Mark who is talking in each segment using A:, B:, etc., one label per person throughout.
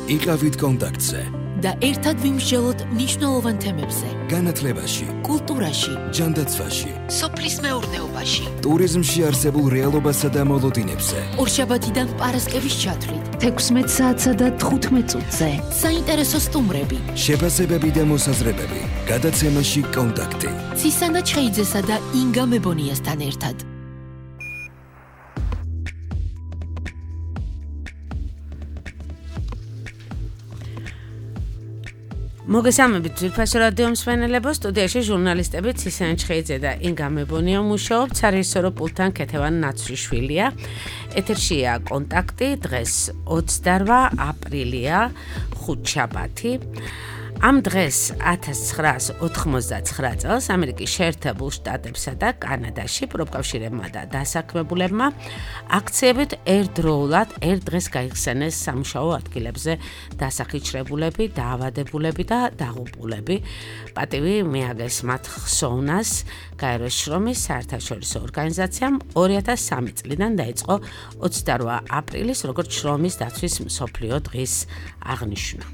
A: იყავით კონტაქტზე
B: და ერთად ვიმსჯელოთ მნიშვნელოვან თემებზე.
A: განათლებაში,
B: კულტურაში,
A: ჯანდაცვაში,
B: სოფლის მეურნეობაში,
A: ტურიზმში არსებულ რეალობასა და მოლოდინებზე.
B: ორშაბათიდან პარასკევის ჩათვლით
C: 16 საათსა და 15 წუთზე.
B: საინტერესო სტუმრები,
A: შეფასებები და მოსაზრებები. გადაცემაში კონტაქტი.
B: ცისანა ჩხეიძესა და ინგა მებონიასთან ერთად.
D: მოგესალმებით ძვირფასო რადიო მსმენელებო, სტუდიაში ჟურნალისტები ცისანა ჩხეიძე და ინგა მებონია მუშაობთ, სარეჟისორო პულტთან ქეთევან ნაცვლიშვილია. ეთერშია კონტაქტი, დღეს 28 აპრილია, ხუთშაბათი. ამ დღეს 1989 წელს ამერიკის შეერთებულ შტატებსა და კანადაში პროფკავშირებმა და დასაქმებულებმა აქციებით ერთდროულად ერთ დღეს გაიხსენეს სამუშაო ადგილებზე დასახიჩრებულები, დაავადებულები და დაღუპულები. პატივი მიაგეს მათ ხსოვნას გაეროს შრომის საერთაშორისო ორგანიზაციამ 2003 წლიდან დაიწყო 28 აპრილის როგორც შრომის დაცვის მსოფლიო დღის აღნიშვნა.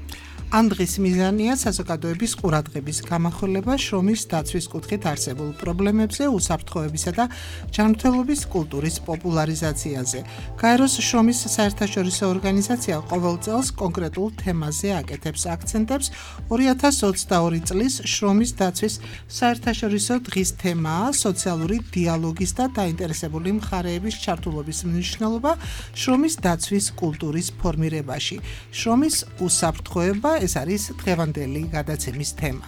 E: ამ დღის მიზანია საზოგადოების ყურადღების გამახვილება შრომის დაცვის კუთხით არსებულ პრობლემებზე, უსაფრთხოებისა და ჯანმრთელობის კულტურის პოპულარიზაციაზე. გაეროს შრომის საერთაშორისო ორგანიზაცია ყოველ წელს კონკრეტულ თემაზე აკეთებს აქცენტებს. 2022 წლის შრომის დაცვის საერთაშორისო დღის თემაა სოციალური დიალოგის და დაინტერესებული მხარეების ჩართულობის მნიშვნელობა შრომის დაცვის კულტურის ფორმირებაში. შრომის უსაფრთხოება ეს არის დღევანდელი გადაცემის თემა.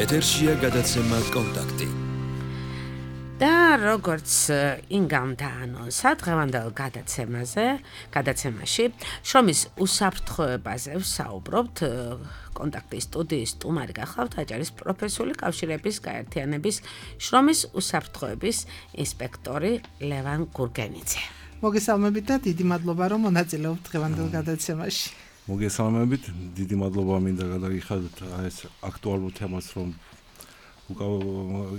A: ეთერშია გადაცემა კონტაქტი.
D: და როგორც ინგამ დაანონსა დღევანდელ გადაცემაში შრომის უსაფრთხოებაზე ვსაუბრობთ. კონტაქტის სტუდიის სტუმარი გახლავთ აჭარის პროფესიული კავშირების გაერთიანების შრომის უსაფრთხოების ინსპექტორი ლევან გურგენიძე.
E: მოგესალმებით და დიდი მადლობა რომ მონაწილეობთ დღევანდელ გადაცემაში.
F: მოგესალმებით, დიდი მადლობა მინდა გადაგიხადოთ ეს აქტუალურ თემას რომ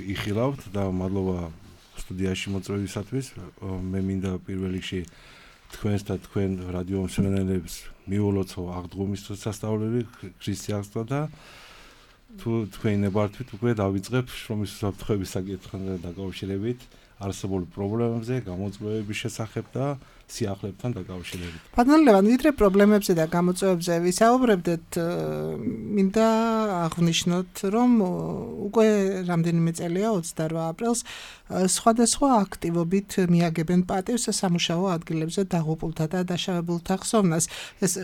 F: იხილავთ და მადლობა სტუდიაში მოწვევისათვის. მე მინდა პირველ რიგში თქვენს და თქვენ რადიო მსმენელებს მიულოცო აღდგომის სასწაულები ქრისტიანსა და თუ თქვენ ნებართვით უკვე დავიწყებ შრომის უსაფრთხოების საკითხთან დაკავშირებით არსებულ პრობლემებზე, გამოწვევების შესახებ და სიახლეებთან დაკავშირებით.
E: ბატონო ლევან, ვიდრე პრობლემებზე და გამოწვევებზე ვისაუბრებდეთ, მინდა აღვნიშნოთ, რომ უკვე რამდენიმე წელია 28 აპრილს სხვადასხვა აქტივობით მიაგებენ პატივს სამუშაო ადგილებზე დაღუპულთა და დაშავებულთა ხსოვნას. ეს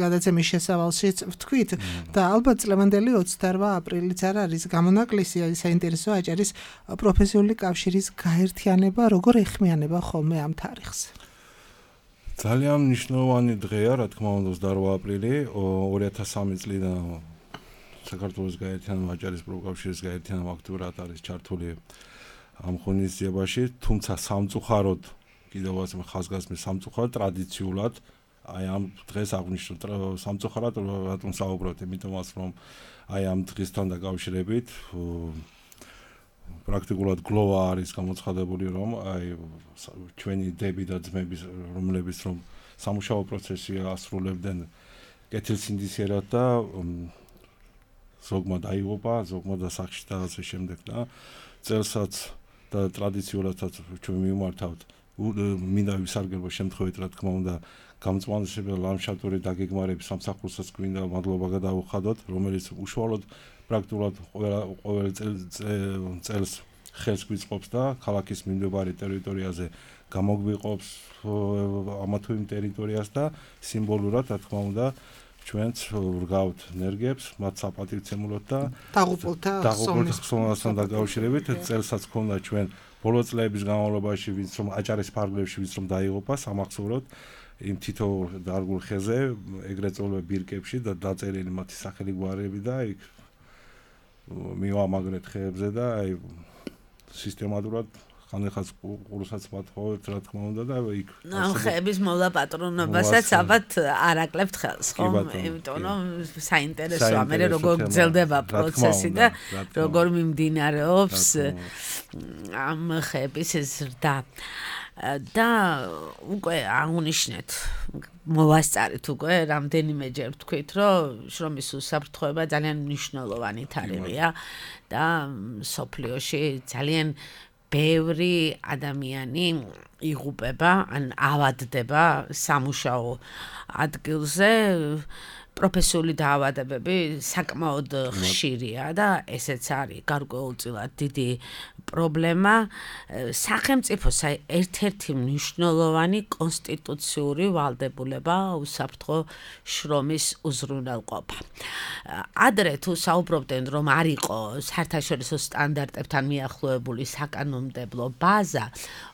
E: გადაცემის შესავალშიც ვთქვით და ალბათ წლევანდელი 28 აპრილიც არ არის გამონაკლისი, საინტერესო აჭარის პროფესიული კავშირის გაერთიანება როგორ ეხმიანება ხოლმე ამ თარიღს.
F: ძალიან მნიშვნელოვანი დღეა, რა თქმა უნდა 28 აპრილი 2003 წლიდან საქართველოს გაერთიანება აჭარის პროფკავშირის გაერთიანება აქტიურად არის ჩართული ამ ღონისძიებაში, თუმცა სამწუხაროდ კიდევ ხაზგასმის სამწუხაროდ ტრადიციულად აი ამ დღეს აღნიშნულ სამწუხაროდ რატომ საუბრობთ, იმიტომაც რომ აი ამ დღესთან დაკავშირებით პრაქტიკულად გლოვა არის გამოცხადებული, რომ აი ჩვენი დები და ძმები, რომლებიც რომ სამუშაო პროცესში ასრულებდნენ კეთილსინდისიერად და ზოგმა დაიღუპა, ზოგმა დასახში და ასე შემდეგ და წელსაც და ტრადიციულადაც ჩვენ მიმართავთ მინდა ვისარგებლო შემთხვევით, რა თქმა უნდა, გამწვანებელ ლანდშაფტური დაგეგმარების სამსახურსაც გვინდა მადლობა გადავუხადოთ, რომელიც უშუალოდ პრაქტიკულად ყოველ წელს ხელს გვიწყობს და ქალაქის მიმდებარე ტერიტორიაზე გამოგვიყოფს ამა თუ იმ ტერიტორიას და სიმბოლურად, რა თქმა უნდა, ჩვენც ვრგავთ ენერგიებს, მათ საპატივცემულოდ და
E: დაღუპულთა
F: ხსოვნასთან დაკავშირებით. წელსაც ქონდა ჩვენ ბოლო წლების განმავლობაში, ვინც რომ აჭარის ფარგლებში ვინც რომ დაიღუპა სამახსოვროდ იმ თითოეულ დარგულ ხეზე, ეგრეთ წოდებული ბირკებში და დაწერილი მათი სახელი გვარები და იქ მივამაგრეთ ხეებზე და აი სისტემატურად ხანახაც ყურსაც მათხოვეთ, რა თქმა უნდა და იქ
D: ხეების მოვლა პატრონობასაც ალბათ არ აკლებთ ხელს, ხო? იმიტომ რომ საინტერესოა მე როგორ გრძელდება პროცესი და როგორ მიმდინარეობს ამ ხეების ზრდა. და უკვე აღნიშნეთ მოვასწარეთ უკვე რამდენიმეჯერ ვთქვით რომ შრომის უსაფრთხოება ძალიან მნიშვნელოვანი თარიღია და სოფლიოში ძალიან ბევრი ადამიანი იღუპება ან ავადდება სამუშაო ადგილზე პროფესიული დაავადებები საკმაოდ ხშირია და ესეც არის გარკვეულწილად დიდი პრობლემა სახელმწიფოს ერთ-ერთი მნიშვნელოვანი კონსტიტუციური ვალდებულება უსაფრთხო შრომის უზრუნველყოფა. ადრე თუ საუბრობდნენ რომ არ იყო საერთაშორისო სტანდარტებთან მიახლოებული საკანონმდებლო ბაზა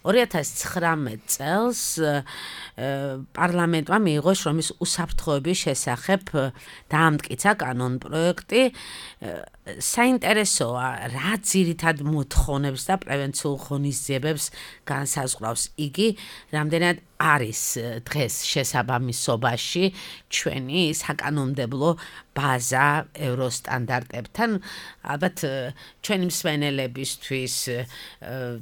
D: 2019 წელს პარლამენტმა მიიღო შრომის უსაფრთხოების შესახებ დაამტკიცა კანონპროექტი საინტერესოა რა ძირითად მოთხოვნებს და პრევენციულ ღონისძიებებს განსაზღვრავს იგი რამდენად არის დღეს შესაბამისობაში ჩვენი საკანონმდებლო ბაზა ევროსტანდარტებთან ალბათ ჩვენი მსმენელებისთვის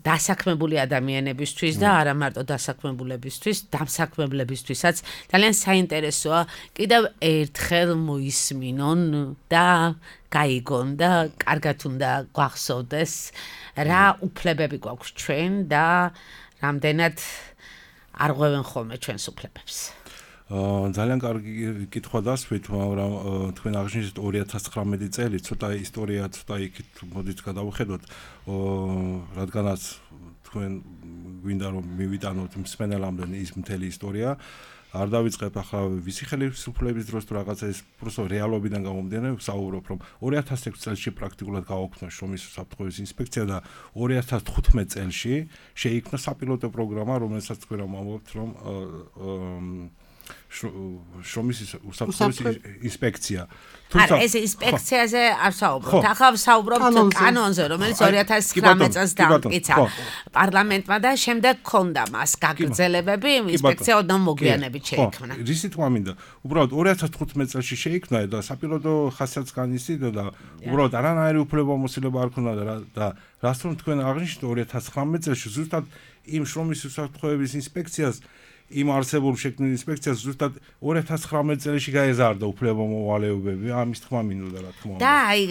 D: დასაქმებული ადამიანებისთვის და არა მარტო დასაქმებულებისთვის დამსაქმებლებისთვისაც ძალიან საინტერესოა კიდევ ერთხელ მოისმინონ და გაიგონ და კარგად უნდა გვახსოვდეს რა უფლებები გვაქვს ჩვენ და რამდენად არ ღვევენ ხოლმე ჩვენს უფლებებს.
F: ძალიან კარგი კითხვა დასვით, მაგრამ თქვენ აღნიშნეთ 2019 წელი, ცოტა ისტორია, ცოტა იქით მოდით გადავხედოთ, რადგანაც თქვენ გვინდა რომ მივიტანოთ მსმენელამდე ის მთელი ისტორია. არ დავიწყებ ახლა ვისი ხელისუფლების დროს თუ რაღაცა ეს просто რეალობიდან გამომდინარე ვსაუბრობ რომ 2006 წელს პრაქტიკულად გააუქმნა შრომის უსაფრთხოების ინსპექცია და 2015 წელს შეიქმნა საპილოტო პროგრამა რომელსაც თქვენ ამბობთ რომ შრომის უსაფრთხოების ინსპექცია
D: თუმცა ეს ინსპექციაზე არ ვსაუბრობთ ახლა ვსაუბრობთ კანონზე რომელიც 2019 წელს დაამტკიცა პარლამენტმა და შემდეგ ჰქონდა მას გაგრძელებები ინსპექცია ოდნავ მოგვიანებით შეიქმნა
F: რისი თქმა მინდა უბრალოდ 2015 წელს შეიქმნა და საპილოტო ხასიათს განიცდიდა და უბრალოდ არანაირი უფლებამოსილება არ ქონდა და რას რომ თქვენ აღნიშნეთ 2019 წელს ზუსტად იმ შრომის უსაფრთხოების ინსპექციას იმ არსებულ შექმნილ ინსპექციას ზუსტად 2019 წელს გაეზარდა უფლებამოვალეობები, ამის თქმა მინდოდა რა თქმა უნდა.
D: და აი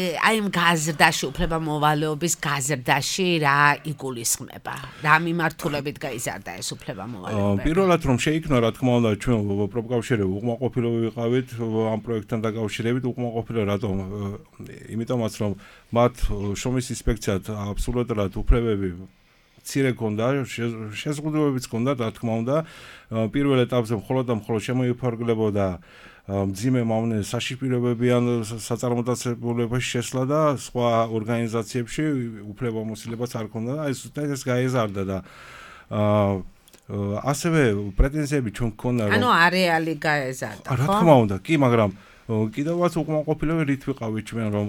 D: იმ გაზრდაში უფლებამოვალეობის გაზრდაში რა იგულისხმება? რა მიმართულებით გაიზარდა ეს უფლებამოვალეობები?
F: პირველად რომ შეიქმნა რა თქმა უნდა ჩვენ პროფკავშირები უკმაყოფილო ვიყავით ამ პროექტთან დაკავშირებით უკმაყოფილო რატომ? იმიტომაც რომ მათ შრომის ინსპექციად აბსოლუტურად უფლებები ცირე ქონდა, შეზღუდვებიც ქონდა, რა თქმა უნდა. პირველ ეტაპზე მხოლოდ შემოიფარგლებოდა მძიმე მავნე საშიშპირებები ან საწარმოდაცებულებაში შესვლა და სხვა ორგანიზაციებში უფლებამოსილებაც არ ქონდა და ეს გაეზარდა და ასევე პრეტენზიები ჩვენ გქონდა
D: რომ ანუ არეალი გაეზარდა, ხო?
F: რა თქმა უნდა, კი, მაგრამ კიდევაც უკმაყოფილოები რით ვიყავით ჩვენ რომ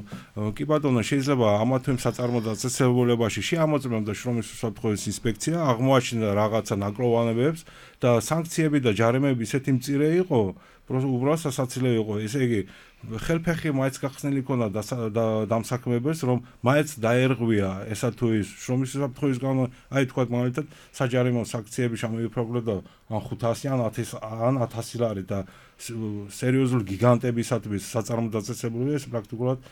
F: კი ბატონო შეიძლება ამა თუ იმ საწარმოდაცებულებაში შეამოწმებდა შრომის უსაფრთხოების ინსპექცია აღმოაჩინდა რაღაცა ნაკლოვანებებს და სანქციები და ჯარიმები ისეთი მწირე იყო უბრალოდ სასაცილო იყო ესე იგი ხელფეხი მაინც გახსნილი ქონდა და დამსაქმებელს რომ მაინც დაერღვია ესა თუ ის შრომის უსაფრთხოების გამო აი თქვა მაგალითად საჯარიმო სანქციები შემოიფარგლებდა ან 500 ან 1000 ლარი და სერიოზული გიგანტებისათვის საწარმოდაცებულებია ეს პრაქტიკულად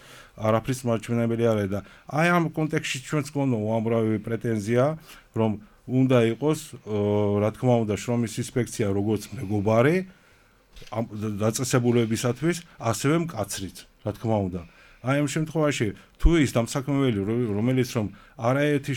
F: არაფრის მარჩვენებელი არ არის და აი ამ კონტექსტში ჩვენც გქონდა უამრავი პრეტენზია რომ უნდა იყოს რა თქმა უნდა შრომის ინსპექცია როგორც მეგობარი ამ დაწესებულებისათვის ასევე მკაცრიც რა თქმა უნდა აი ამ შემთხვევაში თუ ის დამსაქმებელი რომელიც რომ არაერთი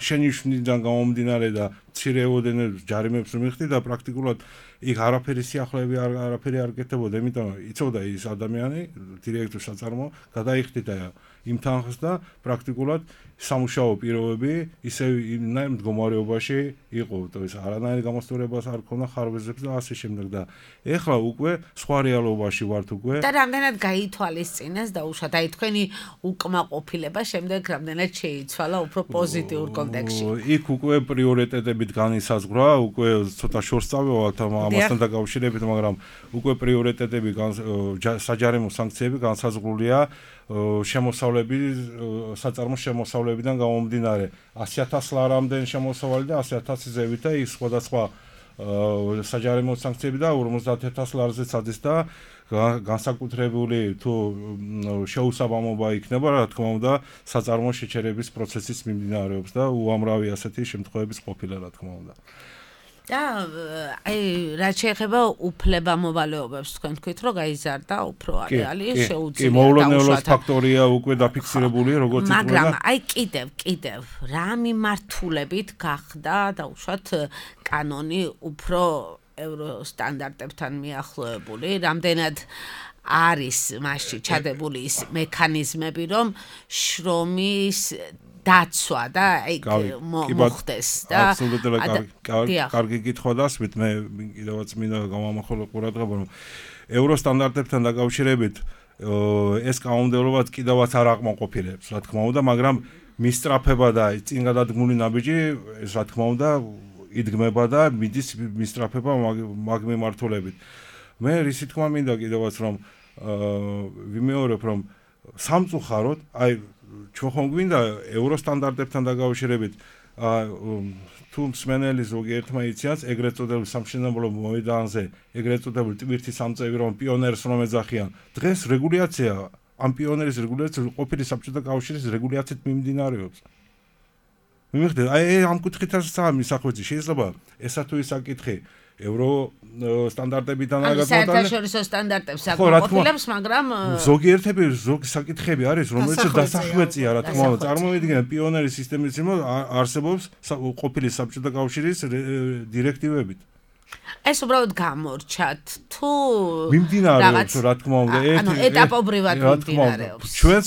F: შენიშვნიდან გამომდინარე და მცირეოდენე ჯარიმებს მიხდი და პრაქტიკულად იქ არაფერი სიახლეები არაფერი არ გეთებოდა, იმიტომ იცოდა ის ადამიანი დირექტორ საწარმო გადაიხდიდა იმ თანხს და პრაქტიკულად სამუშაო პირობები ისე იმ მდგომარეობაში იყო, ეს არანაირი გამოსწორებას არ ქონდა ხარვეზებს და ასე შემდეგ და ეხლა უკვე სხვა რეალობაში ვართ უკვე
D: და რამდენად გაითვალისწინეს და უშად აი თქვენი უკმაყოფილება შემდეგ რამდენად შეიცვალა უფრო პოზიტიურ კონტექსტში.
F: იქ უკვე პრიორიტეტებით განისაზღვრა, უკვე ცოტა შორს წავევალთ ამასთან დაკავშირებით, მაგრამ უკვე პრიორიტეტები საჯარიმო სანქციები განსაზღვრულია შემოსავლების საწარმო შემოსავლებიდან გამომდინარე 100,000 ლარამდე შემოსავალი და 100,000 ზევით და ის სხვადასხვა საჯარიმო სანქციები და 50,000 ლარზეც ადის და განსაკუთრებული თუ შეუსაბამობა იქნება, რა თქმა უნდა, საწარმო შეჩერების პროცესის მიმდინარეობს და უამრავი ასეთი შემთხვევების ყოფილა, რა თქმა უნდა.
D: და რაც შეეხება უფლებამოვალეობებს, თქვენ თქვით, რომ გაიზარდა უფრო არეალი, შეუძლია
F: კი, მოულოდნელობის ფაქტორია უკვე დაფიქსირებული, როგორც ითქვა.
D: მაგრამ კიდევ რა მიმართულებით გახდა დაუშვათ კანონი უფრო ევროსტანდარტებთან მიახლოებული, რამდენად არის მასში ჩადებული ის მექანიზმები, რომ შრომის დაცვა და მოხდეს და
F: კარგი კითხვა დასვით მე კიდევაც მინდა გამომახვილო ყურადღება რომ ევროსტანდარტებთან დაკავშირებით ეს კანონმდებლობაც კიდევაც არ აკმაყოფილებს რა თქმა უნდა მაგრამ მისწრაფება და წინ გადადგმული ნაბიჯი ეს რა თქმა უნდა იდგმება და მიდის მისწრაფება მაგ მიმართულებით მე რისი თქმა მინდა კიდევაც რომ ვიმეორებ რომ სამწუხაროდ აი ჩვენ ხომ გვინდა ევროსტანდარტებთან დაკავშირებით თუ მსმენელი ზოგიერთმა იციან ეგრეთ წოდებული სამშენებლო მოედანზე ეგრეთ წოდებული ტვირთის სამწევი რომ პიონერს რომ ეძახიან დღეს რეგულაცია ამ პიონერის რეგულაცია ყოფილი საბჭოთა კავშირის რეგულაციით მიმდინარეობს მიმიხდეთ აი ამ კუთხითაც მისახვეცი შეიძლება ესა თუ ის საკითხი ევროსტანდარტებიდან
D: საერთაშორისო სტანდარტებს აკმაყოფილებს, მაგრამ
F: ზოგიერთები ზოგი საკითხები არის, რომელიც დასახვეწია, რა თქმა უნდა, წარმოვიდგინეთ პიონერის სისტემის იმო არსებობს ყოფილი საბჭოთა კავშირის დირექტივებით.
D: ეს უბრალოდ გამორჩათ თუ
F: მიმდინარეობს, რა თქმა უნდა,
D: ეტაპობრივად მიმდინარეობს.
F: ჩვენც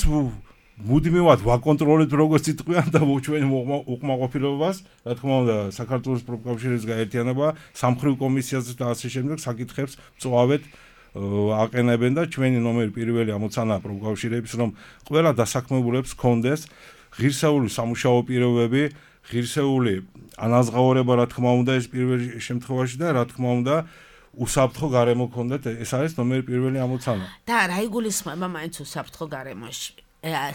F: მუდმივად ვაკონტროლებთ როგორც იტყვიან და ჩვენ უკმაყოფილებას, რა თქმა უნდა, საქართველოს პროფკავშირის გაერთიანება სამხრივ კომისიაზე და ასე შემდეგ საკითხებს წვავეთ აყენებენ და ჩვენი ნომერი პირველი ამოცანა პროფკავშირების რომ ყველა დასაქმებულებს კონდეს ღირსეული სამუშაო პირობები, ღირსეული ანაზღაურება, რა თქმა უნდა, ეს პირველ შემთხვევაში და რა თქმა უნდა უსაფრთხო გარემო კონდეთ, ეს არის ნომერი პირველი ამოცანა.
D: და რა იგულისხმება მაინც უსაფრთხო გარემოში?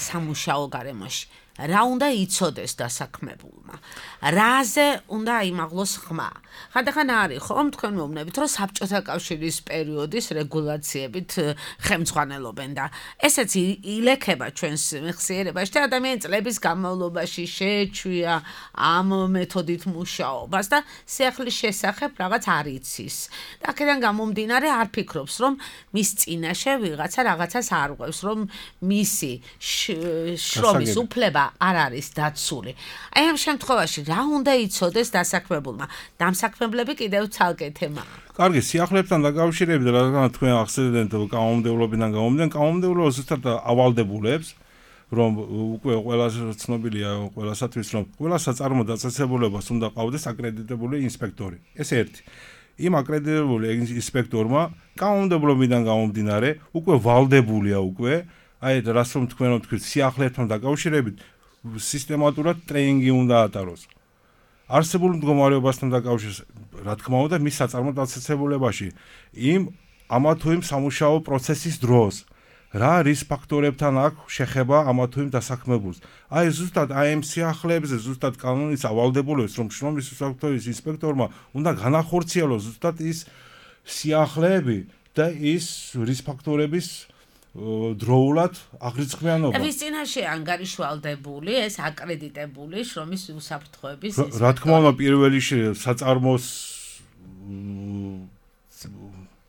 D: სამუშაო გარემოში რა უნდა იცოდეს დასაქმებულმა რაზე უნდა იმაღლოს ხმა ხანდახან არის ხომ თქვენ მეუბნებით რომ საბჭოთა კავშირის პერიოდის რეგულაციებით ხელმძღვანელობენ და ესეც ილექება ჩვენს მეხსიერებაში და ადამიანის წლების განმავლობაში შეეჩვია ამ მეთოდით მუშაობას და სიახლის შესახებ რაღაც არ იცის და აქედან გამომდინარე არ ფიქრობს რომ მის წინაშე ვიღაცა რაღაცას არ ყვევს რომ მისი შრომის უფლება არ არის დაცული. აი ამ შემთხვევაში რა უნდა იცოდეს დასაქმებულმა? დამსაქმებლები კიდევ ცალკე თემაა.
F: კარგი, სიახლეებთან დაკავშირებით რადგან თქვენ ახსენეთ კანონმდებლობიდან გამომდინარე, კანონმდებლობა ზუსტად ავალდებულებს, რომ უკვე ყველას ცნობილია ყველასათვის, რომ ყველა საწარმო დაწესებულებას უნდა ყავდეს აკრედიტებული ინსპექტორი. ეს ერთი. იმ აკრედიტებული ინსპექტორმა კანონმდებლობიდან გამომდინარე, უკვე ვალდებულია უკვე აი რას რომ თქვენ რომ თქვით სიახლეებთან დაკავშირებით სისტემატურად ტრეინინგი უნდა ატაროს. არსებულ მდგომარეობასთან დაკავშირებით, რა თქმა უნდა, მის საწარმო დაწესებულებაში იმ ამა თუ იმ სამუშაო პროცესის დროს რა რის ფაქტორებთან აქვს შეხება ამა თუ იმ დასაქმებულს. აი ზუსტად აი ამ სიახლეებზე ზუსტად კანონის ავალდებულებს რომ შრომის უსაფრთხოების ინსპექტორმა უნდა განახორციელოს ზუსტად ის სიახლეები და ის რის ფაქტორების დროულად აღრიცხვიანობა.
D: ვის წინაშე ანგარიშვალდებული ეს აკრედიტებული შრომის უსაფრთხოების
F: რა თქმა უნდა პირველი საწარმოს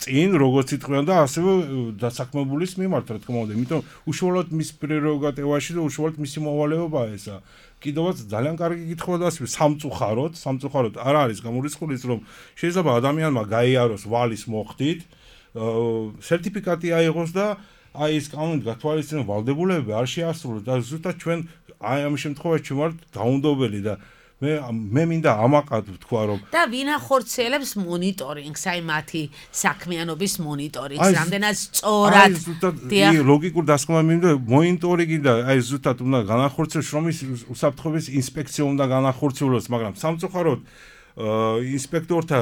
F: წინ როგორც იტყვიან და ასევე დასაქმებულის მიმართ რა თქმა უნდა იმიტომ უშუალოდ მის პრეროგატივაში და უშუალოდ მისი მოვალეობაა ესა კიდევაც ძალიან კარგი კითხვა დასვი სამწუხაროდ არ არის გამორიცხული რომ შეიძლება ადამიანმა გაიაროს ვალის მოხდით სერტიფიკატი აიღოს და აი ეს კანონით გათვალისწინებული ვალდებულებები არ შეასრულოს და ზუსტად ჩვენ აი ამ შემთხვევაში ვართ დაუნდობელი და მე მინდა ამაყად ვთქვა რომ
D: და ვინ ახორციელებს მონიტორინგს აი მათი საქმიანობის მონიტორინგს რამდენად სწორად
F: აი ლოგიკურ დასკვნას მინდა მონიტორინგი და აი ზუსტად უნდა განახორციელოს შრომის უსაფრთხოების ინსპექცია უნდა განახორციელოს მაგრამ სამწუხაროდ ინსპექტორთა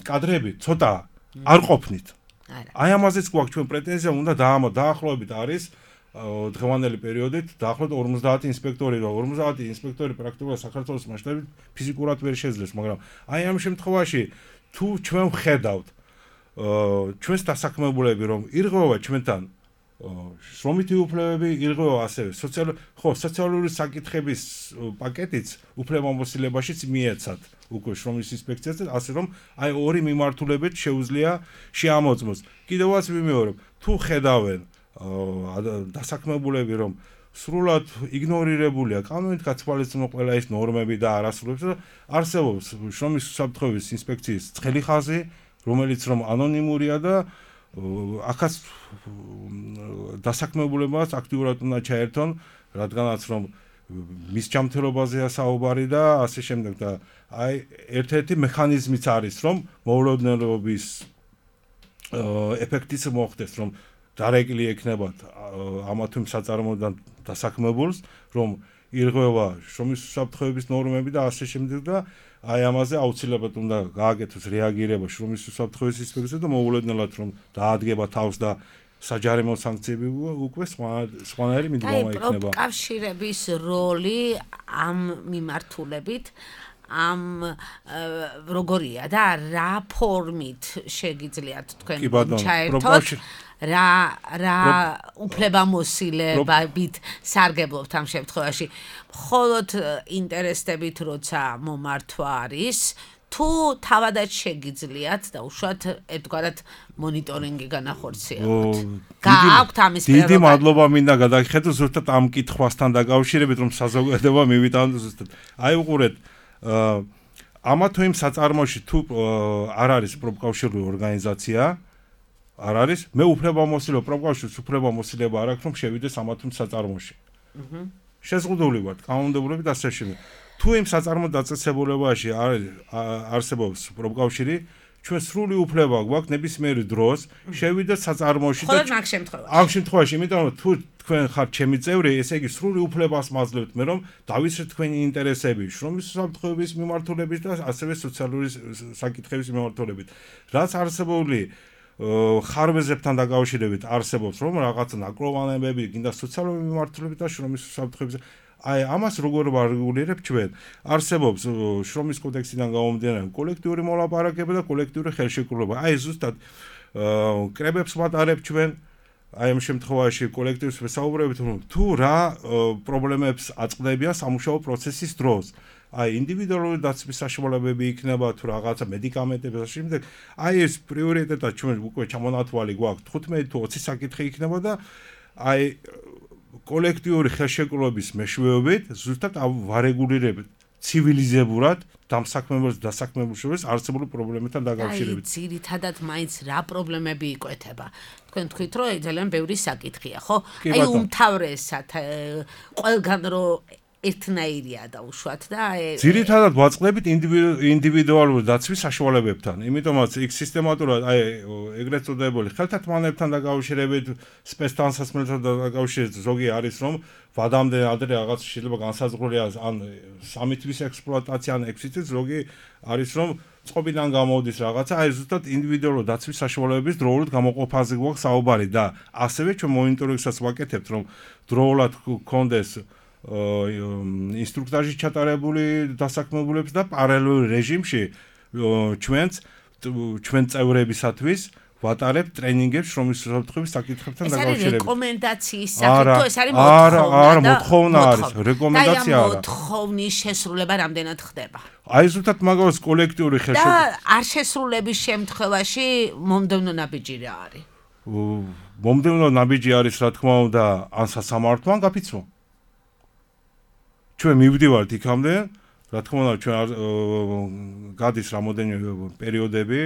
F: კადრები ცოტა არ ყოფნით აი ამაზეც გვაქვს ჩვენ პრეტენზია უნდა დაახლოებით არის დღევანდელი პერიოდით დაახლოებით 50 ინსპექტორი და 50 ინსპექტორი პრაქტიკულად საქართველოს მასშტაბით ფიზიკურად ვერ შეძლებს, მაგრამ აი ამ შემთხვევაში თუ ჩვენ ვხედავთ ჩვენს დასაქმებულები რომ ირღვევა ჩვენთან შრომითი უფლებები, ირღვევა ასევე სოციალური საკითხების პაკეტიც უფლებამოსილებაშიც მიეცათ უკვე შრომის ინსპექციაზე, ასე რომ აი ორი მიმართულებით შეუძლია შეამოწმოს. კიდევაც ვიმეორებ, თუ ხედავენ დასაქმებულები რომ სრულად იგნორირებულია კანონით გათვალისწინებული ყველა ის ნორმები და არასრულებს და არსებობს შრომის უსაფრთხოების ინსპექციის ცხელი ხაზი, რომელიც რომ ანონიმურია და აქაც დასაქმებულებას აქტიურად უნდა ჩაერთონ, რადგანაც რომ მის ჯანმრთელობაზეა საუბარი და ასე შემდეგ და აი ერთ-ერთი მექანიზმიც არის რომ მოულოდნელობის ეფექტიც მოხდეს რომ დარეკილი ექნებათ ამა თუ იმ საწარმოოდან დასაქმებულს რომ ირღვევა შრომის უსაფრთხოების ნორმები და ასე შემდეგ და აი ამაზე აუცილებლად უნდა გააკეთოს რეაგირება შრომის უსაფრთხოების ინსპექციაზე და მოულოდნელად რომ დაადგება თავს და საჯარიმო სანქციები უკვე სხვანაირი მიდგომა იქნება.
D: პროფკავშირების როლი ამ მიმართულებით ამ როგორია და რა ფორმით შეგიძლიათ თქვენ ჩაერთოთ რა უფლებამოსილებით სარგებლობთ ამ შემთხვევაში მხოლოდ ინტერესებით როცა მომართვა არის თუ თავადაც შეგიძლიათ და უშუალოდ ერთგვარად მონიტორინგი განახორციელოთ. გააქვთ ამის პრეროგატივა.
F: დიდი მადლობა მინდა გადაგიხადოთ ზუსტად ამ კითხვასთან დაკავშირებით რომ საზოგადოება მივიტანოთ ზუსტად. აი უყურეთ ამა თუ იმ საწარმოში თუ არ არის პროფკავშირული ორგანიზაცია არ არის მე უფლებამოსილება პროფკავშირის უფლებამოსილება არ აქვს რომ შევიდეს ამა თუ იმ საწარმოში. შეზღუდული ვარ კანონმდებლობით ასე შემდეგ. თუ იმ საწარმო დაწესებულებაში არსებობს პროფკავშირი ჩვენ სრული უფლება გვაქვს ნებისმიერ დროს შევიდეთ საწარმოში
D: და ხოლმე მაგ შემთხვევაში.
F: ამ შემთხვევაში იმიტომ რომ თუ თქვენ ხართ ჩემი წევრი, ესე იგი სრული უფლებას მაძლევთ მე რომ დავისრეთ თქვენი ინტერესები შრომის უსაფრთხოების მიმართულებით და ასევე სოციალური საკითხების მიმართულებით. რაც არსებული ხარვეზებთან დაკავშირებით არსებობს რომ რაღაცა ნაკლოვანებები, გინდა სოციალური მიმართულებით და შრომის უსაფრთხოების აი ამას როგორ ვარეგულირებ ჩვენ? არსებობს შრომის კოდექსიდან გამომდინარე კოლექტიური მოლაპარაკება და კოლექტიური ხელშეკრულება. აი ზუსტად კრებებს ვატარებ ჩვენ აი ამ შემთხვევაში კოლექტივს ვესაუბრებით რომ თუ რა პრობლემებს აწყდებიან სამუშაო პროცესის დროს. აი ინდივიდუალური დაცვის საშუალებები იქნება თუ რაღაცა მედიკამენტები და შემდეგ აი ეს პრიორიტეტად ჩვენ უკვე ჩამონათვალი გვაქვს 15 თუ 20 საკითხი იქნება და აი კოლექტიური ხელშეკრულების მეშვეობით ზუსტად ვარეგულირებით ცივილიზებურად დამსაქმებელს დასაქმებულს არსებული პრობლემებთან დაკავშირებით.
D: აი ძირითადად მაინც რა პრობლემები იკვეთება. თქვენ თქვით რომ ძალიან ბევრი საკითხია, ხო? აი უმთავრესად ყველგან რომ ერთნაირია და უშუალოდ და
F: ძირითადად ვაწყდებით ინდივიდუალური დაცვის საშუალებებთან. იმიტომაც იქ სისტემატურად აი ეგრეთ წოდებული ხელთათმანებთან დაკავშირებით, სპეცდანსაცმელთან დაკავშირებით ზოგი არის რომ ვადამდე ადრე რაღაც შეიძლება განსაზღვრულია ან სამი თვის ექსპლუატაცია ან 6 თვის ზოგი არის რომ წყობიდან გამოდის რაღაცა აი ზუსტად ინდივიდუალური დაცვის საშუალებების დროულად გამოყოფაზე გვაქვს საუბარი და ასევე ჩვენ მონიტორინგსაც ვაკეთებთ რომ დროულად გქონდეს ინსტრუქტაჟი ჩატარებული დასაქმებულებს და პარალელურ რეჟიმში ჩვენ წევრებისათვის ვატარებ ტრენინგებს შრომის უსაფრთხოების საკითხებთან დაკავშირებით.
D: ეს არის რეკომენდაციის სახით თუ ეს არის მოთხოვნა?
F: არა, მოთხოვნა არის, რეკომენდაცია არა.
D: და მოთხოვნის შესრულება რამდენად ხდება?
F: აი ზუსტად მაგას კოლექტიური ხელშეკრულება.
D: და არ შესრულების შემთხვევაში მომდევნო ნაბიჯი რა არის?
F: მომდევნო ნაბიჯი არის რა თქმა უნდა ან სასამართლო ან გაფიცვა. ჩვენ მივდივართ იქამდე, რა თქმა უნდა ჩვენ გადის რამოდენიმე პერიოდები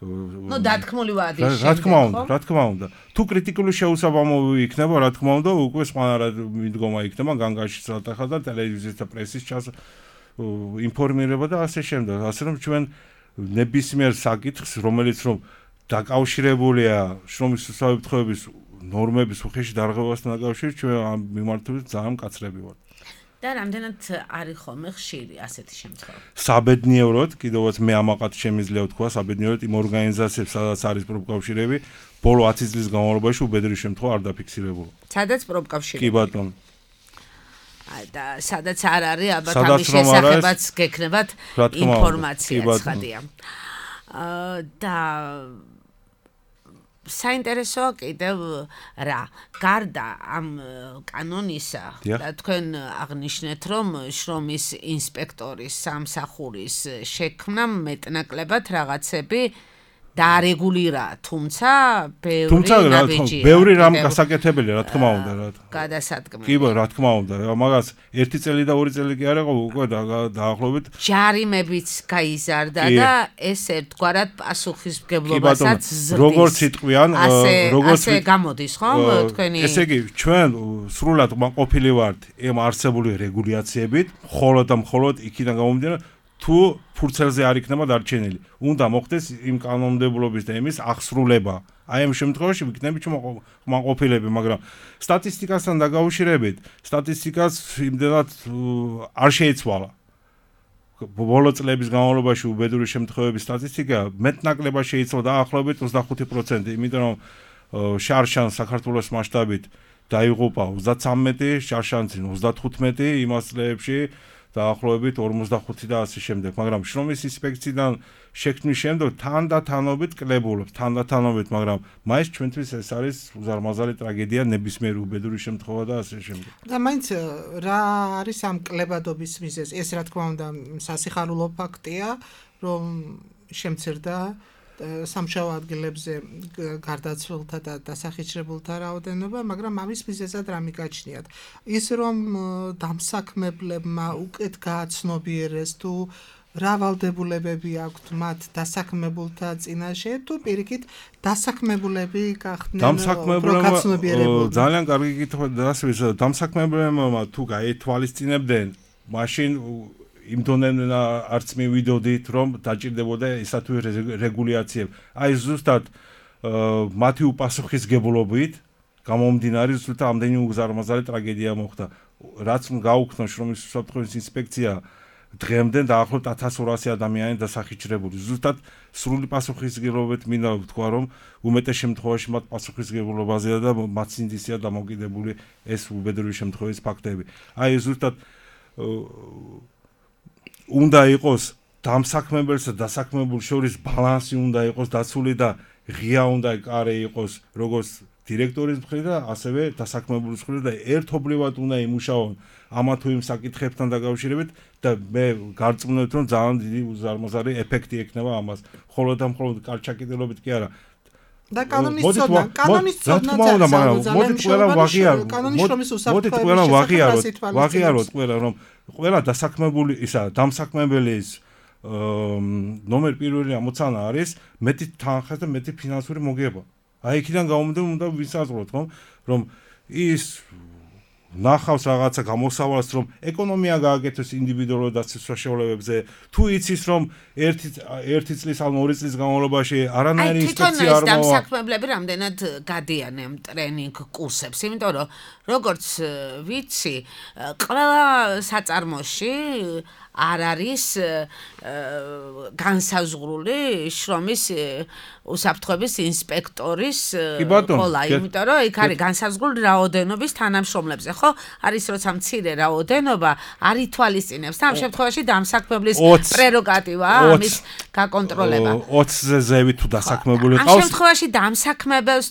D: ნუ დათქმული ვადის შემდეგ.
F: რა თქმა უნდა. თუ კრიტიკული შეუსაბამობები იქნება, რა თქმა უნდა, უკვე სხვანაირად მიდგომა იქნება განგაშის სატახად და ტელევიზიის და პრესის ინფორმირება და ასე შემდეგ. ასე რომ ჩვენ ნებისმიერ საკითხს, რომელიც რომ დაკავშირებულია შრომის უსაფრთხოების ნორმების უხეში დარღვევასთან დაკავშირებით, ჩვენ ამ მიმართულებით ძალიან მკაცრები ვართ.
D: და რამდენად არის ხოლმე ხშირი ასეთი შემთხვევა.
F: საბედნიეროდ, კიდევაც მე ამაყად შემიძლია ვთქვა, საბედნიეროდ იმ ორგანიზაციებს, სადაც არის პროფკავშირები, ბოლო 10 წლის განმავლობაში უბედური შემთხვევა არ დაფიქსირებულა.
D: სადაც პროფკავშირები.
F: კი ბატონო.
D: და სადაც არ არის, ალბათ ამის შესახებაც გექნებათ ინფორმაცია ცხადია. და საინტერესოა კიდევ რა, გარდა ამ კანონისა და თქვენ აღნიშნეთ, რომ შრომის ინსპექტორის სამსახურის შექმნა მეტნაკლებად რაღაცები დაარეგულირა, თუმცა
F: ბევრი რამ გასაკეთებელია, რა თქმა უნდა, რა.
D: გადასადგმელი.
F: კი, რა თქმა უნდა, მაგას 1 წელი და 2 წელი კი არ იყო, უკვე დაახლოებით
D: ჯარიმებიც გაიზარდა და ეს ერთგვარად პასუხისმგებლობასაც ზრდის.
F: როგორც იტყვიან,
D: ასე გამოდის, ხო, თქვენი?
F: ესე იგი, ჩვენ სრულად ყოფილი ვართ ამ არსებული რეგულაციებით, მხოლოდ და მხოლოდ იქიდან გამომდინარე თუ ფურცელზე არ იქნება დარჩენილი. უნდა მოხდეს იმ კანონმდებლობის და იმის აღსრულება. აი ამ შემთხვევაში ვიქნებით მოყოფილები, მაგრამ სტატისტიკასთან დაკავშირებით, სტატისტიკას იმდენად არ შეიცვალა. ბოლო წლების განმავლობაში უბედური შემთხვევების სტატისტიკა მეტნაკლებად შეიცვალა დაახლოებით 25%, იმიტომ რომ შარშან საქართველოს მასშტაბით დაიღუპა 33, შარშანცინ 35 იმას წლებში დაახლოებით 45 და ასე შემდეგ, მაგრამ შრომის ინსპექციიდან შექმნის შემდეგ თანდათანობით კლებულობს, მაგრამ მაინც ჩვენთვის ეს არის უზარმაზარი ტრაგედია, ნებისმიერ უბედური შემთხვევა და ასე შემდეგ.
E: და მაინც რა არის ამ კლებადობის მიზეზი? ეს რა თქმა უნდა სასიხარულო ფაქტია, რომ შემცირდა სამშაბათო ადგილებზე გარდაცვლილთა და დასახიჩრებულთა რაოდენობა, მაგრამ ამის მიზეზად რა მიგაჩნიათ? ის რომ დამსაქმებლებმა უკეთ გააცნობიერეს თუ რა ვალდებულებები აქვთ მათ დასაქმებულთა წინაშე თუ პირიქით დასაქმებულები გახდნენ პროკაცნობიერებულნი?
F: ძალიან კარგი კითხვა დასვის დამსაქმებლებმა თუ გაეთვალისწინებდნენ, მაშინ იმ დონემდე არც მივიდოდით, რომ დაჭირდებოდა ისა თუ რეგულაციები. აი ზუსტად მათი უპასუხისმგებლობით გამომდინარე ზუსტად ამდენი უზარმაზარი ტრაგედია მოხდა. რაც გაუქმნა შრომის უსაფრთხოების ინსპექცია დღემდე დაახლოებით 1200 ადამიანი დასახიჩრებული. ზუსტად სრული პასუხისმგებლობით მინდა ვთქვა, რომ უმეტეს შემთხვევაში მათ პასუხისმგებლობაზეა და მათ სინდისია დამოკიდებული ეს უბედური შემთხვევის ფაქტები. აი ზუსტად უნდა იყოს დამსაქმებელსა და დასაქმებულ შორის ბალანსი უნდა იყოს დაცული და ღია უნდა იყოს როგორც დირექტორის მხრიდან და ასევე დასაქმებულის მხრიდან და ერთობლივად უნდა იმუშაონ ამა თუ იმ საკითხებთან დაკავშირებით და მე გარწმუნებთ რომ ძალიან დიდი უზარმაზარი ეფექტი ექნება ამას. მხოლოდ და მხოლოდ კარჩაკიდელობით კი არა.
E: და კანონის ცოდნა
F: მოდით ყველა ვაღიაროთ ყველა რომ ყველა დასაქმებული ისა დამსაქმებელის ნომერ პირველი ამოცანა არის მეტი თანხა და მეტი ფინანსური მოგება. აი იქიდან გამომდინარე უნდა ვისაზღვროთ რომ ის ნახავს რაღაცა გამოსავალს რომ ეკონომია გააკეთოს ინდივიდუალურ დაცვის საშუალებებზე თუ იცის რომ ერთი წლის ან 2 წლის განმავლობაში არანაირი ინსპექცია არ მოვა.
D: დამსაქმებლები რამდენად გადიან ამ ტრენინგ კურსებს, იმიტომ რომ როგორც ვიცი, ყველა საწარმოში არ არის განსაზღვრული შრომის უსაფრთხოების ინსპექტორის როლა, იმიტომ რომ იქ არის განსაზღვრული რაოდენობის თანამშრომლებზე, ხო? არის როცა მცირე რაოდენობა არ ითვალისწინებს და ამ შემთხვევაში დამსაქმებლის პრეროგატივაა ამის გაკონტროლება.
F: 20-ზე ზევით თუ დასაქმებული ყავს.
D: ამ შემთხვევაში დამსაქმებელს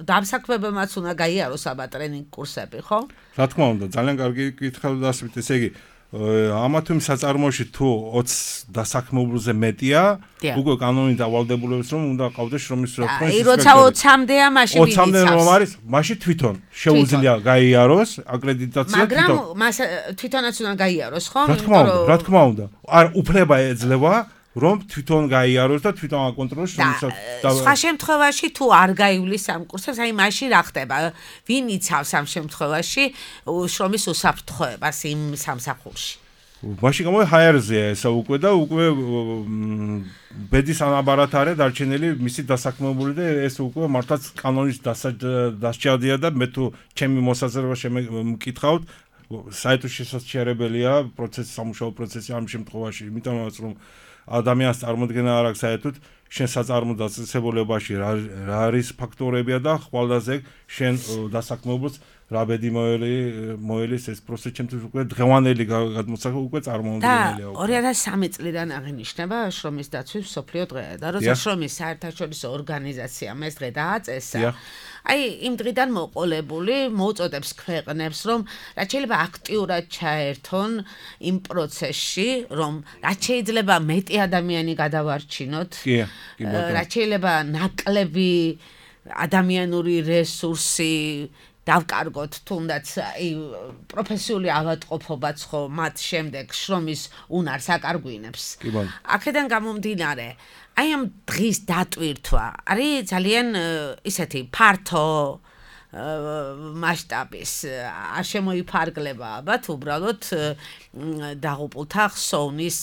D: დამსაქმებელმაც უნდა გაიაროს აბა ტრენინგ კურსები, ხო?
F: რა თქმა უნდა, ძალიან კარგი კითხვა დასვით, ესე იგი ამა თუ იმ საწარმოში თუ 20 დასაქმებულზე მეტია, უკვე კანონით დავალდებულებს რომ უნდა ყავდეს შრომის უსაფრთხოების ინსპექტორი.
D: როცა 20-მდეა, მაშინ
F: 20-მდე რომ არის, მაშინ თვითონ შეუძლია გაიაროს აკრედიტაცია
D: მაგრამ მას თვითონაც უნდა გაიაროს, ხო?
F: რა თქმა უნდა. არ უფლება ეძლევა რომ თვითონ გაიაროს და თვითონ აკონტროლოს შრომის
D: სხვა შემთხვევაში თუ არ გაივლის ამ კურსებს, აი მაშინ რა ხდება? ვინ იცავს ამ შემთხვევაში შრომის უსაფრთხოებას იმ სამსახურში?
F: მაშინ ჰაერზეა ესა უკვე და უკვე ბედის ანაბარად არის დარჩენილი მისი დასაქმებული და ეს უკვე მართლაც კანონის დასჭადია და მე თუ ჩემი მოსაზრება შემეკითხავთ საერთოდ შესაძლებელია სამუშაო პროცესი ამ შემთხვევაში, იმიტომაც რომ ადამიანს წარმოქმნა არ აქვს საერთოდ შენ საწარმო დაწესებულებაში რა არის ფაქტორებია და ხვალდაზე შენ დასაქმებულს რა ბედი მოელის ეს პროცესი ჩემთვის უკვე დღევანდელი გადმოსახვა უკვე წარმოუდგენელია.
D: და 2003 წლიდან აღინიშნება შრომის დაცვის მსოფლიო დღე და როცა შრომის საერთაშორისო ორგანიზაციამ ეს დღე დააწესა, აი იმ დღიდან მოყოლებული მოუწოდებს ქვეყნებს რომ რაც შეიძლება აქტიურად ჩაერთონ იმ პროცესში, რომ რაც შეიძლება მეტი ადამიანი გადავარჩინოთ, რაც შეიძლება ნაკლები ადამიანური რესურსი დავკარგოთ თუნდაც პროფესიული ავადმყოფობაც ხო მათ შემდეგ შრომის უნარს აკარგვინებს. აქედან გამომდინარე, აი ამ დღის დატვირთვა არის ძალიან ისეთი ფართო მასშტაბის არ შემოიფარგლება ალბათ უბრალოდ დაღუპულთა ხსოვნის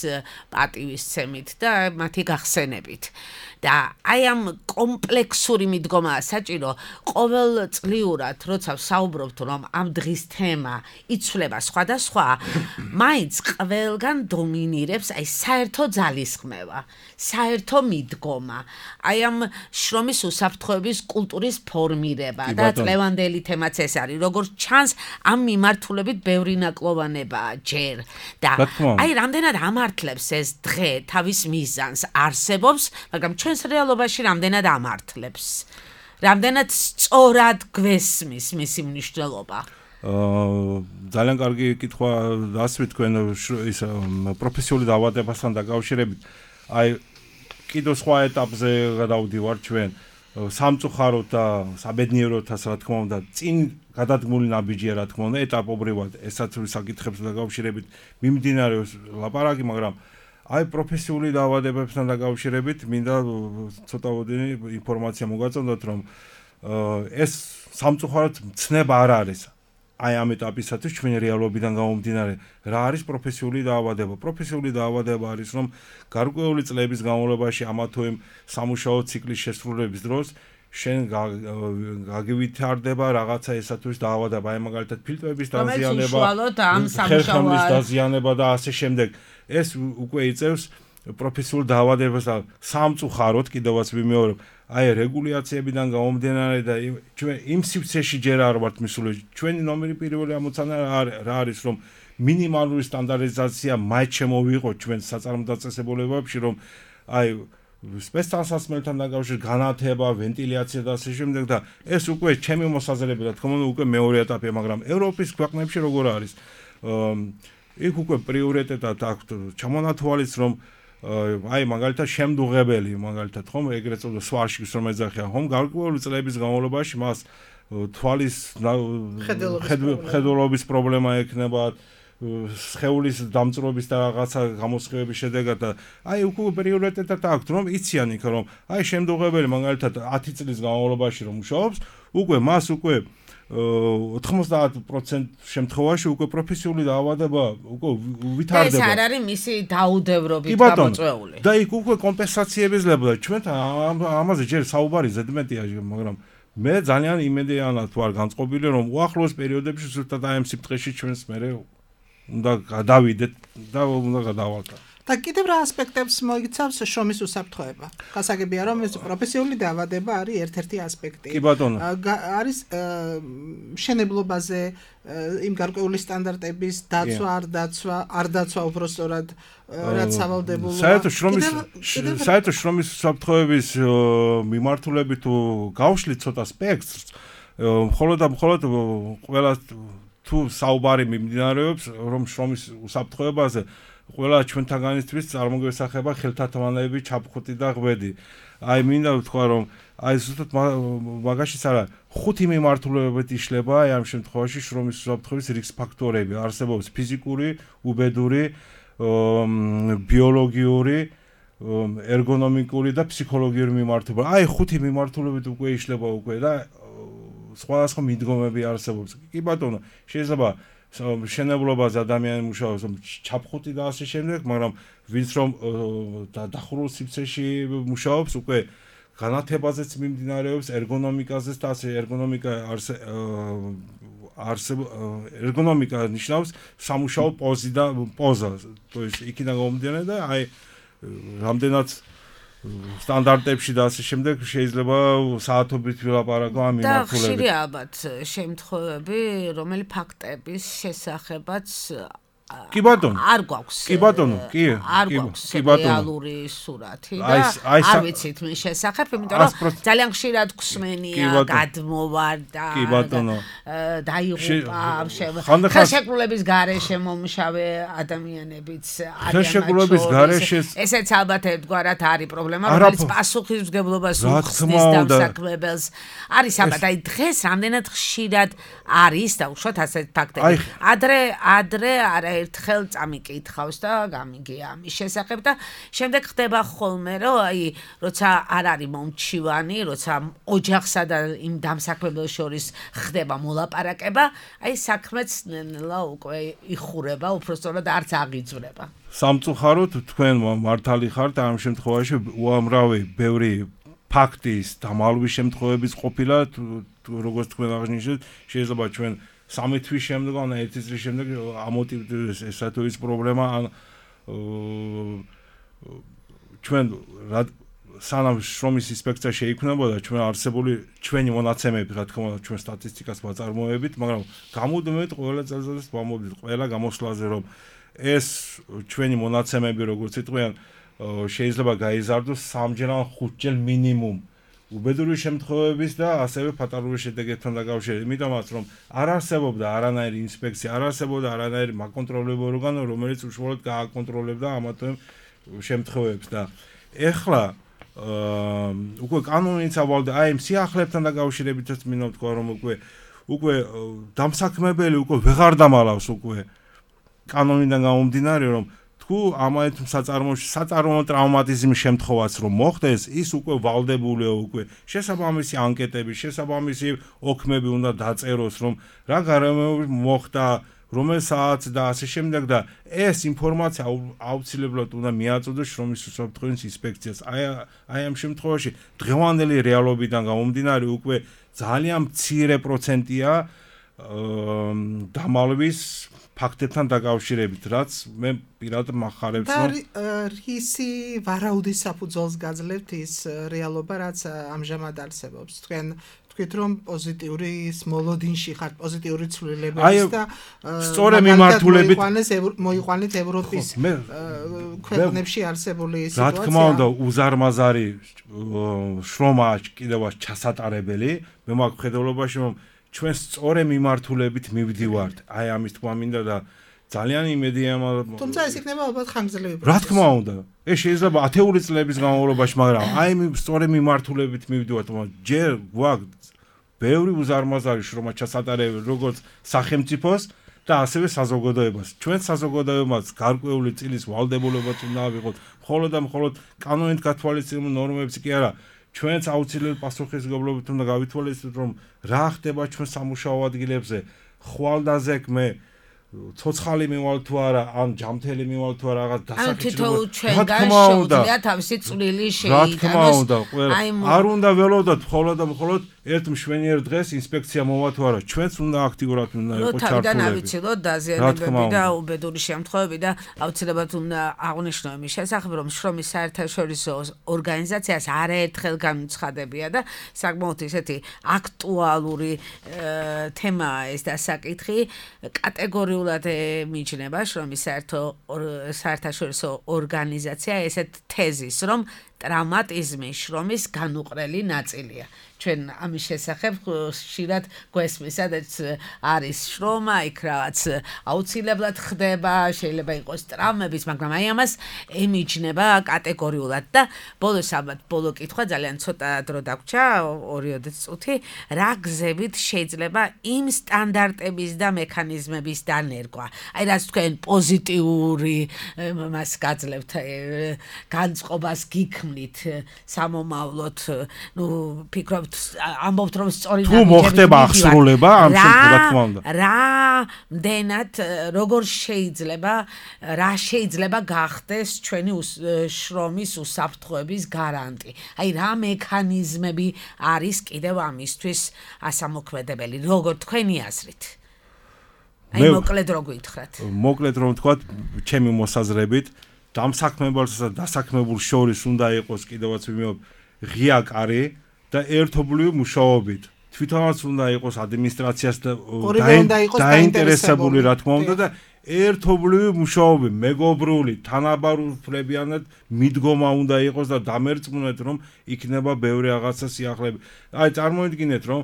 D: პატივისცემით და მათი გახსენებით. და აი ამ კომპლექსური მიდგომაა საჭირო ყოველწლიურად, როცა ვსაუბრობთ რომ ამ დღის თემა იცვლება სხვადასხვა, მაინც ყველგან დომინირებს აი საერთო ძალისხმევა, საერთო მიდგომა, აი ამ შრომის უსაფრთხოების კულტურის ფორმირება და წლევანდელი თემაც ეს არის, როგორც ჩანს ამ მიმართულებით ბევრი ნაკლოვანებაა ჯერ და აი რამდენად ამართლებს ეს დღე თავის მიზანს არსებობს, მაგრამ ჩვენს რეალობაში რამდენად ამართლებს, რამდენად სწორად გვესმის მისი მნიშვნელობა.
F: ძალიან კარგი კითხვა დასვით თქვენ ის პროფესიული დაავადებასთან დაკავშირებით. აი კიდევ სხვა ეტაპზე გადავდივარ ჩვენ სამწუხაროდ და საბედნიეროთაც რა თქმა უნდა წინ გადადგმული ნაბიჯია რა თქმა უნდა ეტაპობრივად ესაც საკითხებს დაკავშირებით მიმდინარეობს ლაპარაკი, მაგრამ აი პროფესიული დაავადებებთან დაკავშირებით მინდა ცოტავოდი ინფორმაცია მოგაწოდოთ რომ ეს სამწუხაროდ ცნება არ არის. აი ამ ეტაპისათვის ჩვენი რეალობიდან გამომდინარე რა არის პროფესიული დაავადება. პროფესიული დაავადება არის რომ გარკვეული წლების განმავლობაში ამა თუ იმ სამუშაო ციკლის შესრულების დროს შენ გაგივითარდება რაღაცა ესათვის დაავადება, აი მაგალითად ფილტვების დაზიანება, ხერხემლის დაზიანება და ასე შემდეგ. ეს უკვე იწევს პროფესიულ დაავადებას და სამწუხაროდ კიდევაც ვიმეორებ, აი რეგულაციებიდან გამომდინარე და ჩვენ იმ სივრცეში ჯერ არ ვართ მისული. ჩვენი ნომერი პირველი ამოცანა რა არის რომ მინიმალური სტანდარტიზაცია მაინც შემოვიღოთ ჩვენ საწარმო დაწესებულებებში, რომ აი სპეცსასმელთან დაკავშირებით განათება, ვენტილაცია და ასე შემდეგ და ეს უკვე ჩემი მოსაზრებით რა თქმა უნდა უკვე მეორე ეტაპია, მაგრამ ევროპის ქვეყნებში როგორ არის? იქ უკვე პრიორიტეტად აქვთ ჩამონათვალის რომ აი მაგალითად შემდუღებელი მაგალითად ხომ ეგრეთ წოდებული სვარშის რომ ეძახიან ხომ გარკვეული წლების განმავლობაში მას თვალის ხედულობის პრობლემა ექნება, სხეულის დამწრობის და რაღაცა გამოსხივების შედეგად და აი უკვე პრიორიტეტად აქვთ რომ იციან იქ რომ აი შემდუღებელი მაგალითად 10 წლის განმავლობაში რომ მუშაობს, უკვე მას უკვე 90% შემთხვევაში უკვე პროფესიული დაავადება უკვე ვითარდება.
D: ეს არ არის მისი დაუდევრობით გამოწვეული.
F: და იქ უკვე კომპენსაციების ლებდა. ჩვენთან ამაზე ჯერ საუბარი ზედმეტია, მაგრამ მე ძალიან იმედიანად ვარ განწყობილი რომ უახლოეს პერიოდებში ზუსტად აი ამ სიფრთხეში ჩვენს მერე უნდა გადავიდეთ და უნდა გადავალთ.
E: და კიდევ რა ასპექტებს მოიცავს შრომის უსაფრთხოება? გასაგებია რომ ეს პროფესიული დაავადება არის ერთ-ერთი ასპექტი.
F: კი ბატონო.
E: არის მშენებლობაზე იმ გარკვეული სტანდარტების დაცვა, არ დაცვა უბრალოდ რაც სავალდებულოა.
F: საერთო შრომის უსაფრთხოების მიმართულებით თუ გავშლით ცოტა სპექტრს, მხოლოდ ყველა თუ საუბარი მიმდინარეობს რომ შრომის უსაფრთხოებაზე ყველა ჩვენთაგანისთვის წარმოგვესახება ხელთათმანები, ჩაფხუტი და ღვედი. აი მინდა ვთქვა რომ აი ზუსტად მაგაშიც არა 5 მიმართულებებით იშლება აი ამ შემთხვევაში შრომის უსაფრთხოების რისკ ფაქტორები. არსებობს ფიზიკური, უბედური, ბიოლოგიური, ერგონომიკური და ფსიქოლოგიური მიმართულება. აი 5 მიმართულებით უკვე იშლება უკვე და სხვადასხვა მიდგომები არსებობს. კი ბატონო, შეიძლება მშენებლობაზე ადამიანი მუშაობს ჩაფხუტი და ასე შემდეგ, მაგრამ ვინც რომ დახურულ სივრცეში მუშაობს, უკვე განათებაზეც მიმდინარეობს, ერგონომიკაზეც და ასე ერგონომიკა ერგონომიკა ნიშნავს სამუშაო პოზას. То есть იქიდან გამომდინარე და აი რამდენად სტანდარტებში და ასე შემდეგ შეიძლება საათობით ვილაპარაკო ამ მიმართულებით.
D: და ხშირი ალბათ შემთხვევები, რომელი ფაქტების შესახებაც
F: კი ბატონო.
D: არ გვაქვს.
F: კი ბატონო, კი.
D: არ გვაქვს რეალური სურათი და არ ვიცით მის შესახებ, იმიტომ რომ ძალიან ხშირად გვსმენია, გადმოვარდა, დაიღუპა, ხელშეკრულების გარეშე მომშავე ადამიანებიც არიან. ესეც ალბათ ერთგვარად არის პრობლემა, რომელიც პასუხისმგებლობას უხსნის დამსაქმებელს. არის ალბათ, აი დღეს რამდენად ხშირად არის და უშუალოდ ასეთ ფაქტები. ადრე ერთხელ წამიკითხავს და გამიგია ამის შესახებ და შემდეგ ხდება ხოლმე რომ აი როცა არ არის მომჩივანი, როცა ოჯახსა და იმ დამსაქმებელს შორის ხდება მოლაპარაკება, აი საქმეც ნელა უკვე იხურება, უბრალოდ არც აღიძვრება.
F: სამწუხაროდ თქვენ მართალი ხართ ამ შემთხვევაში უამრავი ბევრი ფაქტის დამალვის შემთხვევების ყოფილა, როგორც თქვენ აღნიშნეთ, შეიძლება ჩვენ 3 თვის შემდეგ ან 1 წლის შემდეგ ამოტივდეს ესათოის პრობლემა ან ჩვენ სანამ შრომის ინსპექცია შეიქმნებოდა ჩვენ არსებული ჩვენი მონაცემები რა თქმა უნდა ჩვენ სტატისტიკას ვაწარმოებით, მაგრამ გამუდმებით ყველა წელიწადს ვამბობთ ყველა გამოსვლაზე რომ ეს ჩვენი მონაცემები როგორც იტყვიან შეიძლება გაიზარდოს 3-ჯერ ან 5-ჯერ მინიმუმ უბედური შემთხვევების და ასევე ფატალური შედეგებთან დაკავშირებით, იმიტომაც რომ არ არსებობდა არანაირი ინსპექცია, არ არსებობდა არანაირი მაკონტროლებო ორგანო, რომელიც უშუალოდ გააკონტროლებდა ამათო შემთხვევებს და ეხლა უკვე კანონიც ავალდა აი ამ სიახლებთან დაკავშირებითაც მინდა თქვა რომ უკვე დამსაქმებელი უკვე ვეღარ დამალავს უკვე კანონიდან გამომდინარე რომ ამათ საწარმოო ტრავმატიზმის შემთხვევაც რომ მოხდეს, ის უკვე ვალდებულია უკვე შესაბამისი ანკეტები, შესაბამისი ოქმები უნდა დაწეროს, რომ რა გარემოები მოხდა, რომელ საათს და ასე შემდეგ და ეს ინფორმაცია აუცილებლად უნდა მიაწოდოს შრომის უსაფრთხოების ინსპექციას. აი ამ შემთხვევაში დღევანდელი რეალობიდან გამომდინარე უკვე ძალიან მცირე პროცენტია დამალვის ფაქტებთან დაკავშირებით, რაც მე პირადად მახარებს
E: რომ რისი ვარაუდის საფუძველს გაძლევთ ის რეალობა, რაც ამჟამად არსებობს. თქვით რომ პოზიტიური მოლოდინში ხართ, პოზიტიური ცვლილებების და
F: სწორი მიმართულებით
E: მოიყვანეთ ევროპის ქვეყნებში არსებული სიტუაცია.
F: რა თქმა უნდა, უზარმაზარი შრომაა კიდევაც ჩასატარებელი. მე მაქვს ხედველობაში რომ ჩვენ სწორი მიმართულებით მივდივართ. აი ამის თქმა მინდა და ძალიან იმედია
E: თუმცა ეს იქნება ალბათ ხანგრძლივი
F: რა თქმა უნდა ეს შეიძლება 10 წლების განმავლობაში მაგრამ აი სწორი მიმართულებით მივდივართ ჯერ გვაქვს ბევრი უზარმაზარი შრომა ჩასატარებელი როგორც სახელმწიფოს და ასევე საზოგადოებას ჩვენ საზოგადოებას გარკვეული წილის ვალდებულებაც უნდა ავიღოთ მხოლოდ და მხოლოდ კანონით გათვალისწინებულ ნორმებს კი არა ჩვენც აუცილებლად პასუხისმგებლობით უნდა გავითვალისწინოთ რომ რა ხდება ჩვენ სამუშაო ადგილებზე ხვალდაზე მე ცოცხალი მივალ თუ არა ან ჯამთელი მივალ თუ არა რაღაც
D: დასაკითხებულად რა თქმა უნდა თავისი წვლილი შეიტანოს
F: არ უნდა ველოდოთ მხოლოდ და მხოლოდ ერთ მშვენიერ დღეს ინსპექცია მოვა თუ არა ჩვენც უნდა აქტიურად უნდა იყოს ჩართულები
D: თავიდან ავიცილოთ დაზიანებები და უბედური შემთხვევები და აუცილებლად უნდა აღვნიშნო იმის შესახებ რომ შრომის საერთაშორისო ორგანიზაციას არაერთხელ განუცხადებია და საკმაოდ ისეთი აქტუალური თემაა ეს დასაკითხი კატეგორიულად მიიჩნევა შრომის საერთაშორისო ორგანიზაცია ესეთ თეზის რომ ტრავმატიზმი შრომის განუყრელი ნაწილია ჩვენ ამის შესახებ ხშირად გვესმის, სადაც არის შრომა, იქ რაღაც აუცილებლად ხდება, შეიძლება იყოს ტრავმების, მაგრამ აი ამას ემიჯნება კატეგორიულად და ბოლოს ალბათ ბოლო კითხვა ძალიან ცოტა დრო დაგვრჩა, 2 წუთი, რა გზებით შეიძლება იმ სტანდარტების და მექანიზმების დანერგვა. აი რაც თქვენ პოზიტიური მას გაძლევთ, განწყობას გიქმნით სამომავლოდ, ფიქრობთ ამბობთ რომ სწორი
F: თუ მოხდება აღსრულება ამ შემთხვევაში რა თქმა უნდა
D: რამდენად როგორ შეიძლება გახდეს ჩვენი შრომის უსაფრთხოების გარანტი აი რა მექანიზმები არის კიდევ ამისთვის ასამოქმედებელი როგორ თქვენი აზრით აი მოკლედ რო გითხრათ.
F: მოკლედ რომ ვთქვათ, ჩემი მოსაზრებით, დამსაქმებელსა და დასაქმებულ შორის უნდა იყოს კიდევაც ვიმეობ ღია კარი და ერთობლივი მუშაობით. თვითონაც უნდა იყოს ადმინისტრაციას და დაინტერესებული რა თქმა უნდა და ერთობლივი მუშაობი, მეგობრული, თანაბარუფლებიანად მიდგომა უნდა იყოს და დამერწმუნეთ რომ იქნება ბევრი რაღაცა სიახლეები. აი წარმოიდგინეთ რომ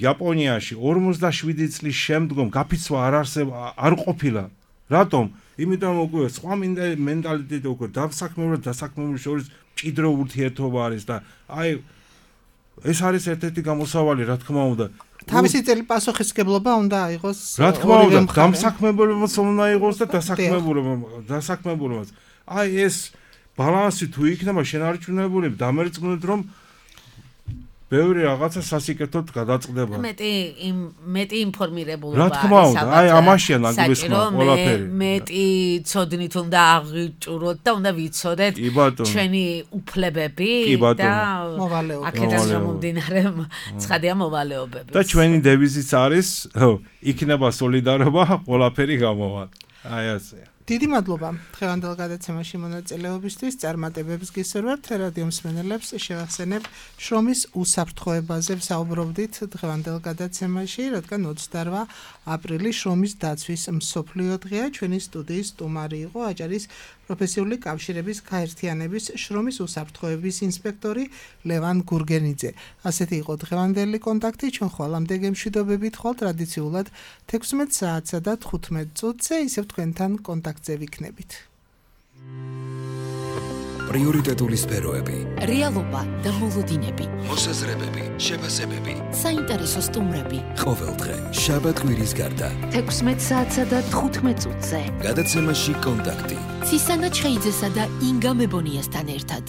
F: იაპონიაში 47 წლის შემდგომ გაფიცვა არ ყოფილა. რატომ? იმიტომ უკვე სხვა მენტალიტეტი უკვე დასაქმებულ შორის მჭიდრო ურთიერთობა არის და აი ეს არის ერთ-ერთი გამოსავალი, რა თქმა უნდა.
E: თავისი წელი პასუხისმგებლობა უნდა აიღოს.
F: რა თქმა უნდა, დამსაქმებელმაც უნდა აიღოს და დასაქმებულმაც. აი ეს ბალანსი თუ იქნება შენარჩუნებული, დამერწმუნეთ რომ ბევრი რაღაცა სასიკეთოდ გადაწყდება.
D: მეტი ინფორმირებულობა.
F: რა თქმა უნდა, აი ამაშია ნაგვისმა ყველაფერი.
D: მეტი ცოდნით უნდა აღიჭუროთ და უნდა ვიცოდეთ ჩვენი უფლებები და აქედან გამომდინარე ცხადია მოვალეობები.
F: და ჩვენი დევიზიც არის, იქნება სოლიდარობა, ყველაფერი გამოვა. აი ასე.
E: დიდი მადლობა დღევანდელ გადაცემაში მონაწილეობისთვის. წარმატებებს გისურვებთ. რადიო მსმენელებს შევახსენებ, შრომის უსაფრთხოებაზე ვსაუბრობდით დღევანდელ გადაცემაში, რადგან 28 აპრილი შრომის დაცვის მსოფლიო დღეა. ჩვენი სტუდიის სტუმარი იყო აჭარის პროფესიული კავშირების გაერთიანების შრომის უსაფრთხოების ინსპექტორი ლევან გურგენიძე. ასეთი იყო დღევანდელი კონტაქტი. ჩვენ ხვალამდე გემშვიდობებით ხვალ ტრადიციულად 16 საათსა და 15 წუთზე ისევ თქვენთან კონტაქტზე ვიქნებით.
A: პრიორიტეტული სფეროები,
B: რეალობა და მოლოდინები,
A: მოსაზრებები, შეფასებები,
B: საინტერესო სტუმრები.
A: ყოველდღე შაბათ-კვირის გარდა
C: 16 საათსა და 15 წუთზე.
A: გადაცემაში კონტაქტი.
B: ცისანა ჩხეიძესა და ინგა მებონიასთან ერთად.